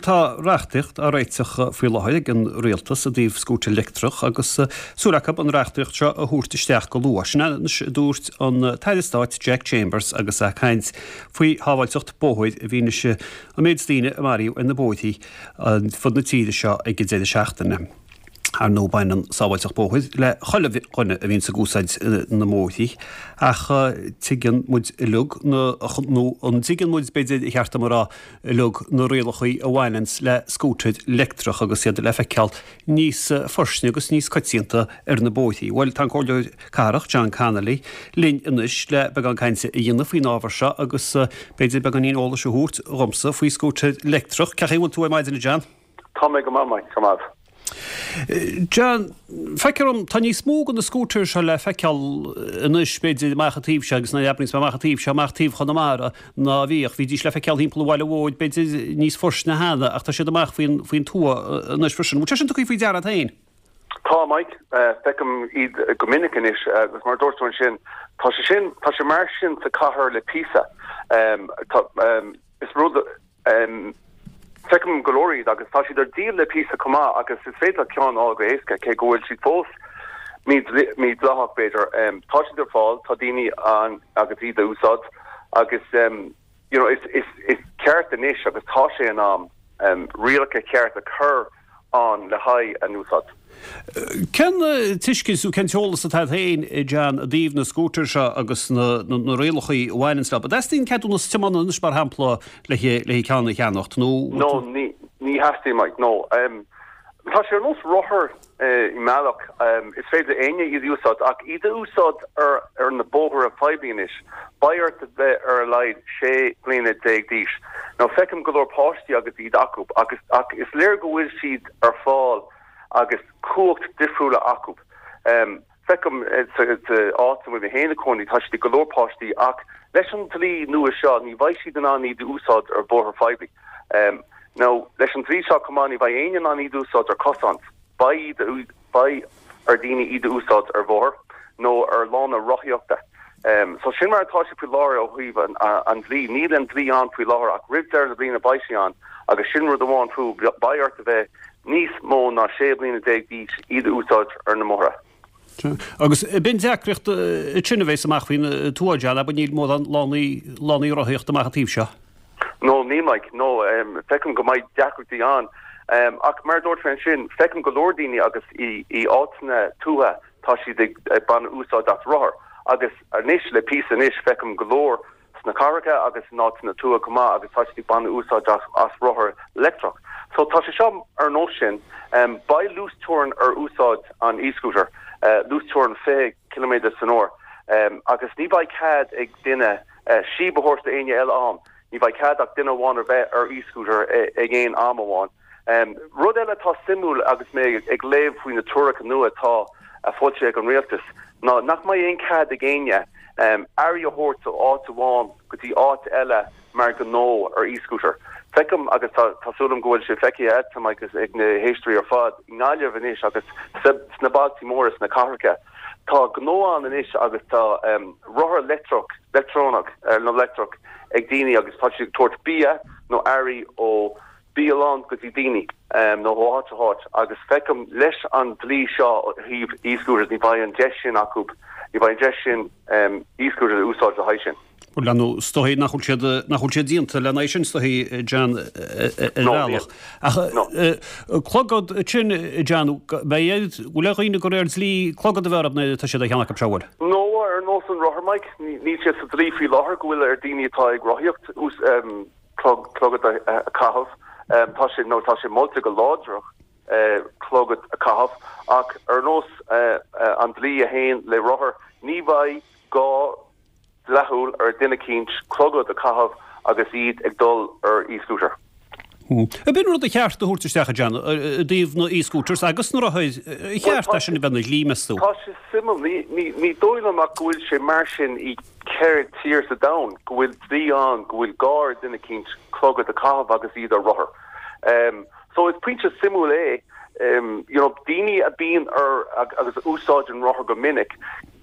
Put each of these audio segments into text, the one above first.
tá reachtaíocht á réiteach faoi láthair ag an Rialtas i dtaobh scútar leictreach agus súil acu an reachtaíocht seo a thabhairt isteach go luath. Sin anois a dúirt an tAire Stáit Jack Chambers agus é ag caint faoi shábháilteacht bóthair i bhfianaise an méid daoine a maraíodh ar na bóithrí ar fud na tíre seo ag an deireadh seachtaine. Ar ndóigh baineann sábháilteacht bóthair le chuile dhuine a bhíonns ag úsáid na mbóithrí ach tuigeann muid uilig na, nó an dtuigeann muid b'fhéidir ba cheart dom a rá, uilig na rialachaí a bhaineanns le scútair leictreach agus iad le feiceáil níos fairsine agus níos coitianta ar na bóithrí. Bhuel tá an Comhairleoir Cathrach John Connolly linn anois le beagán cainte a dhéanamh faoin ábhar seo agus b'fhéidir beagáinín eolais a thabhairt dhomsa faoi scútair leictreach. Cén chaoi a bhfuil tú ar maidin a John? Tá mé go maith, Mike, go maith. John, feictear dom, tá níos mó de na scooters seo le feiceáil anois, b'fhéidir, amach an taobh seo, agus nuair a abraíonns mé amach an taobh seo, amach taobh Chonamara, ná a bhíodh. Bhídís le feiceáil thimpeall an bhaile mhóir, b'fhéidir, níos fairsine cheana, ach tá siad amach faoin, faoin tuath anois freisin. Bhfuil sé sin tugtha faoi deara agat féin? Tá, Mike. Feicim iad go minic anois, agus mar a dúirt tú ansin, tá sé sin, tá sé mar sin sa chathair le píosa. Tá, is rud. Feicim go leor iad agus tá siad ar díol le píosa chomh maith agus is féidir leat ceann a fháil go héasca, cé go bhfuil siad fós mídhleathach b'fhéidir. Tá siad ar fáil, tá daoine ann agus iad a úsáid agus you know is is ceart anois agus tá sé in am rialacha ceart a chur ann le haghaidh a n-úsáid. Cén tuiscint nó cén t-eolas atá agat féin, John, i dtaobh na scútair seo agus na rialacha a bhaineanns leo? An dteastaíonn ceadúnas tiomána anois, mar shampla, le ceann a cheannacht nó? No, ní theastaíonn, Mike, no. Tá sé ar nós rothar i mbealach, is féidir le éinne iad a úsáid, ach iad a úsáid ar na bóithre poiblí anois, beidh ort a bheith ar a laghad 16 bliana d'aois. Now feicim go leor páistí agus iad acu, agus ach is léir go bhfuil siad ar fáil agus cumhacht difriúla acu. Feicim sa áit a bhfuil mé féin i cónaí, tá siad ag go leor páistí, ach leis an dlí nua seo ní bheidh siad in ann iad a úsáid ar bhóithre phoiblí. Now leis an dlí seo chomh maith ní bheidh éinne in ann iad a úsáid ar cosán. Beidh iad, beidh ar daoine iad a úsáid ar bhóthar nó ar lána rothaíochta. So sin mar atá sé faoi láthair ó thaobh an dlí. Níl an dlí ann faoi láthair ach roimh deireadh na bliana beidh sé ann agus sin rud amháin fiú, beidh ort a bheith níos mó ná 16 bliana d'aois iad a úsáid ar na mbóithre. Agus b'in deacracht ansin a bheas amach faoin tuath, John, abair, níl mórán lánaí, lánaí rothaíochta amach an taobh seo. No, níl Mike, no. Feicim go mbeidh deacrachtaí ann. Ach mar a dúirt mé ansin, feicim go leor daoine agus i áiteanna tuaithe tá siad ag baint úsáid as rothar. Agus anois, le píosa anois, feicim go leor sna cathracha agus in áiteanna tuaithe chomh maith agus tá siad ag baint úsáid as rothar leictreach. So tá sé seo ar nós sin. Beidh luasteorainn ar úsáid an e-scooter, luasteorainn 20 ciliméadar san uair, agus ní bheidh cead ag duine síob a thabhairt d'éinne eile ann. Ní bheidh cead ach duine amháin a bheith ar e-scooter ag aon am amháin. Rud eile atá suimiúil agus mé ag léamh faoi na treoracha nua atá foilsithe ag an rialtas ná nach mbeidh aon cead ag éinne earraí a thabhairt ó áit amháin go dtí áit eile mar ghnó ar e-scooter. Feicim, agus tá súil agam go bhfuil sé feicthe agat agus ag na héisteoirí ar fad, i nGaillimh anois agus sna bailtí móra, sna cathracha, tá gnó ann anois agus tá rothar leictreach, leictreonach nó leictreach ag daoine agus tá siad ag tabhairt bia nó earraí ó bialann go dtí daoine nó ó áit go háit agus feicim leis an dlí seo ó thaobh e-scooters ní bheidh an deis sin acu, ní bheidh an deis sin e-scooters a úsáid le haghaidh sin. Bhuel, nó is dóigh nach bhfuil siad, nach bhfuil siad déanta lena aghaidh sin, is dóigh, John, ar bhealach. Ach clogad sin, John, beidh, bhfuil ar dhaoine de réir dlí clogad a bheith orthu nuair atá siad á cheannach acu seo, bhfuil? No, ar nós an rothar, Mike, níl sé sa dlí faoi láthair go bhfuil ar daoine atá ag rothaíocht clogad a chaitheamh. Tá sé, nó tá sé molta go láidir clogad a chaitheamh, ach ar nós an dlí a théann le rothar, ní bheidh gá dleathúil ar duine eicínt clogad a chaitheamh agus iad ag dul ar e-scooter. Ab in rud a cheart a thabhairt isteach, a John, i dtaobh na e-scooters agus na rothair, ar cheart é sin a bheith ina dhlí, meas tú? Tá sé suimiúil. Ní dóigh liom ach go bhfuil sé mar sin i 4 tír sa domhan go bhfuil dlí ann go bhfuil gá ar duine eicínt clogad a chaitheamh agus iad ar rothar. So is pointe suimiúil é, you know, daoine a bíonn ar agus a úsáideann rothar go minic,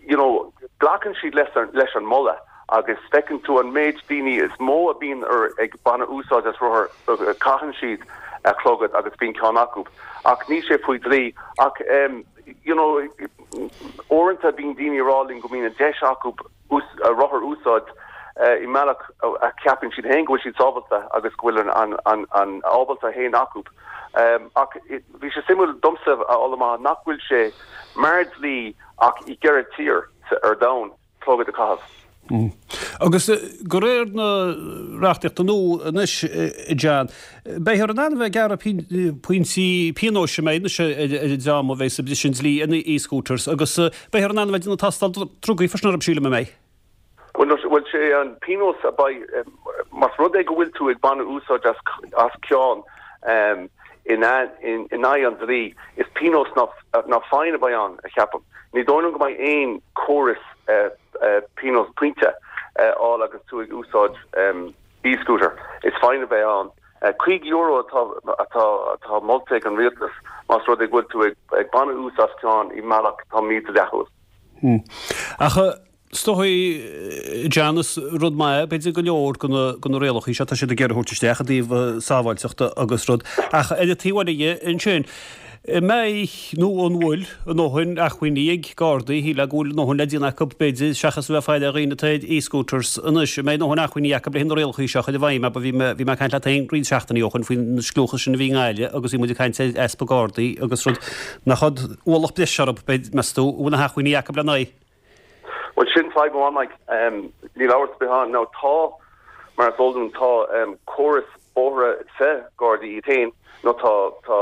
you know, glacann siad leis leis an moladh agus feiceann tú an méid daoine is mó a bíonn ar ag baint úsáid as rothar, caitheann siad. clogad agus bíonn ceann acu ach níl sé faoi dlí ach you know uaireanta bíonn daoine ag rá linn go mbíonn an deis acu rothar a úsáid i mbealach a cheapann siad féin go bhfuil siad sábháilte agus go bhfuil an an an ábalta féin acu. Ach bhí sé suimiúil domsa a fháil amach nach bhfuil sé mar dlí ach i gceithre tír ar domhan. clogad a chaitheamh. Agus de réir na reachtaíochta nua anois, a John, beifear in ann a bheith ag gearradh pointí pionóis an mbeidh anois ar an dream a bheas ag briseadh an dlí ar na e-scooters agus beifear in ann a bheith ag déanamh tástáil drugaí freisin orthu, sílim, an mbeidh? Bhuel, sé an pionós a beidh, más rud é go bhfuil tú ag baineadh úsáid as ceann in aghaidh an dlí, is pionós ná fine a bheidh ann, a cheapaim. Ní dóigh liom go mbeidh aon córas pionós pointe a fháil agus tú ag úsáid e-scooter. Is fine a bheidh ann. €50 atá atá molta ag an rialtas más rud é go bhfuil tú ag baineadh úsáid as ceann i mbealach atá mídhleathúil. Ach Is dóigh, John, is rud maith é, b'fhéidir, go leor de na rialacha seo atá siad ag iarraidh a thabhairt isteach i dtaobh sábháilteachta agus rud, ach ar an taobh eile dhe ansin, an mbeidh, nó an bhfuil, a ndóthain acmhainní ag Gardaí, shílfeá go bhfuil a ndóthain le déanamh acu, b'fhéidir, seachas a bheith ag faire ar dhaoine atá ar e-scooters anois, an mbeidh a ndóthain acmhainní acu le na rialacha seo a chur i bhfeidhm, abair, bhí mé, bhí mé ag caint leat féin roinnt seachtainí ó shin faoin scliúchas sin a bhí i nGaillimh agus bhí muid ag caint ar easpa Gardaí agus rud, nach ualach breise orthu, b'fhéidir, meas tú, an bhfuil na hacmhainní acu lena aghaidh? Bhuel, sin fadhb amháin, Mike. Níl amhras ar bith ann. Now, tá, mar is eol dúinn, tá córas bóithre sa Gardaí iad féin, nó tá, tá,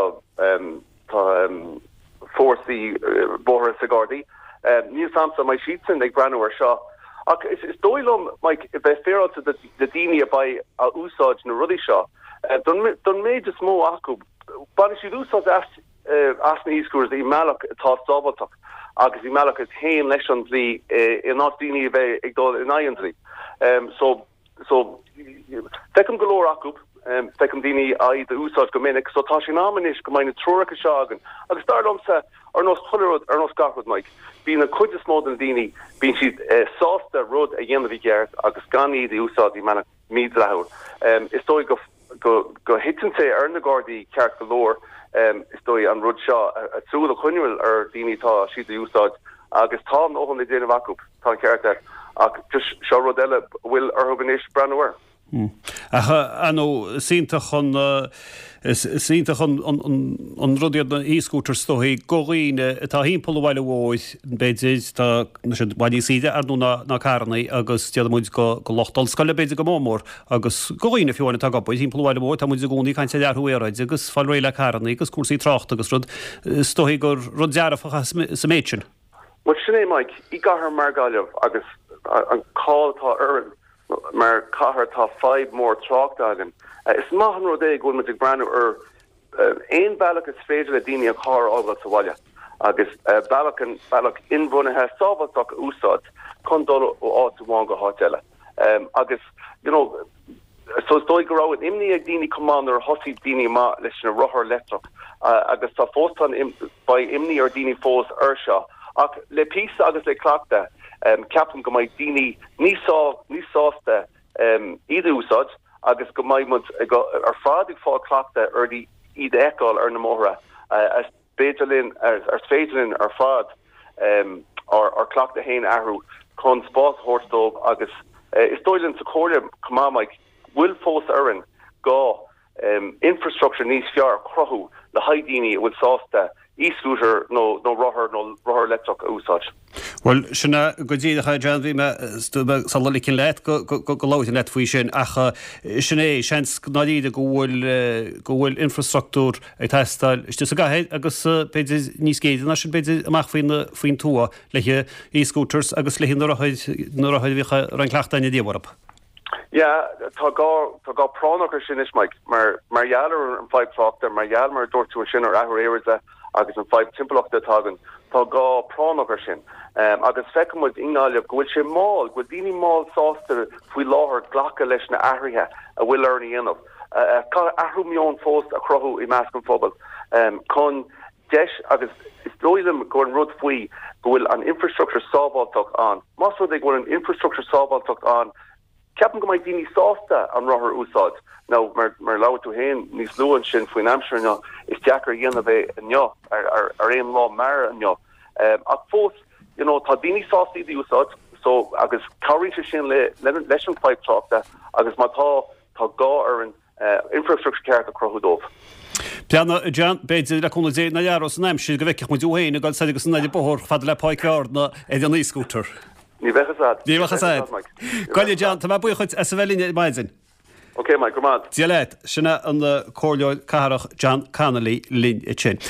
tá fórsaí bóithre sa Gardaí. Níl 's a'msa an mbeidh siadsan ag breathnú ar seo. Ach is dóigh liom, Mike, bheith féaráilte do na daoine a beidh a úsáid na rudaí seo, don méid is mó acu, bainfidh siad úsáid as as na e-scooters i mbealach atá sábháilteach agus i mbealach a théann leis an dlí in áit daoine a bheith ag dul in aghaidh an dlí. So, so, feicim go leor acu, feicim daoine iad a úsáid go minic, so tá sé in am anois go mbeidh na treoracha seo againn. Agus dar liomsa, ar nós chuile rud, ar nós gach rud, Mike, bíonn an chuid is mó de na daoine, bíonn siad sásta rud a dhéanamh i gceart agus gan iad a úsáid i mbealach mídhleathúil. Is dóigh go. go thiteann sé ar na Gardaí ceart go leor, is dóigh, an rud seo, a súil a choinneáil ar daoine atá siad a úsáid agus tá a ndóthain le déanamh acu, tá an ceart agat, ach just seo rud eile a bhfuil orthu anois breathnú air. Ach, ar ndóigh, is iontach an, is iontach an rud iad na e-scooters is dóigh do dhaoine atá thimpeall an bhaile mhóir, b'fhéidir, tá siad i bhfad níos saoire ar ndóigh ná carrannaí agus déarfaidh muid do lucht ollscoile b'fhéidir go mór mór. Agus do dhaoine fiú amháin atá ag obair thimpeall an bhaile mhóir, tá muid i gcónaí ag caint ar athrú aeráide agus fáil réidh le carrannaí agus cúrsaí tráchta agus rud, is dóichí gur rud dearfach é sa méid sin. Bhuel, sin é, Mike. I gcathair mar Gaillimh agus an cáil atá orainn mar chathair tá fadhb mór tráchta againn. Is maith an rud é go bhfuil muid ag breathnú ar aon bhealach is féidir le daoine an carr a fhágáil sa bhaile agus bealach, bealach inbhuanaithe sábháilteach a úsáid chun dul ó áit amháin go háit eile. Agus, you know, so is dóigh go raibh an imní ag daoine chomh maith nuair a thosaigh daoine amach leis na rothair leictreach agus tá fós, tá an, beidh imní ar daoine fós ar seo. Ach le píosa agus le cleachtadh, ceapaim go mbeidh daoine níos sá, níos sásta iad a úsáid agus go mbeidh muid ar fad ag fáil cleachtadh ar iad a fheiceáil ar na mbóithre. Is féidir linn, is féidir linn ar fad ár gcleachtadh féin a athrú chun spás a thabhairt dóibh agus is dóigh linn sa Chomhairle chomh maith, Mike, bhfuil fós orainn gá infrastructure níos fearr a chruthú le haghaidh daoine a bhfuil sásta e-scooter nó nó rothar nó rothar leictreach a úsáid. Bhuel, sin é go díreach é, John. Bhí mé sula ligfinn leat go labharfainn leat faoi sin ach sin é, seans go ndáiríre go bhfuil go bhfuil infrastruchtúr ag teastáil istigh sa gcathair agus b'fhéidir níos géire ná sin b'fhéidir amach faoin faoin tuath le e-scooters agus le na rothair na rothair a bhíodh a raibh an cleachtadh againne riamh orthu. Yeah, tá gá, tá gá práinneach ar sin anois, Mike, mar, mar gheall ar an fadhb tráchta, mar gheall, mar a dúirt tú ansin, ar athrú aeráide agus an fadhb timpeallachta atá againn, tá gá práinneach ar sin. Agus feiceann muid i nGaillimh go bhfuil sé mall, go bhfuil daoine mall sásta faoi láthair glacadh leis na athruithe a bhfuil orainn a dhéanamh. Caithfidh athrú meoin fós a chruthú i measc an phobail chun deis agus is dóigh liom go an rud faoi go bhfuil an infrastructure sábháilteach ann. Más rud é go bhfuil an infrastructure sábháilteach ann. Ceapaim go mbeidh daoine sásta an rothar a úsáid. Now, mar mar labhair tú féin níos luaithe ansin faoin aimsir inniu, is deacair a dhéanamh é inniu, ar ar ar aon lá mear inniu. Ach fós, you know, tá daoine sásta iad a úsáid, so, agus cabhraíonn sé sin le leis an fadhb tráchta agus má tá, tá gá orainn infrastructure ceart a chruthú dóibh. Breathnaigh, a John, b'fhéidir, le cúnamh Dé, nach athróidh an aimsir go bhfeicfeadh muid thú féin ag dul soir agus anall an bóthar chomh fada le Páirc Bhearna ar an e-scooter. Ní bheadh fhios a'd. Ní bheadh fhios a'd. Go deimhin, John, tá mé buíoch dhuit as a bheith linn ar maidin. Ok, Mike, go raibh maith Dia leat. Sin é an Comhairleoir Cathrach John Connolly linn ansin.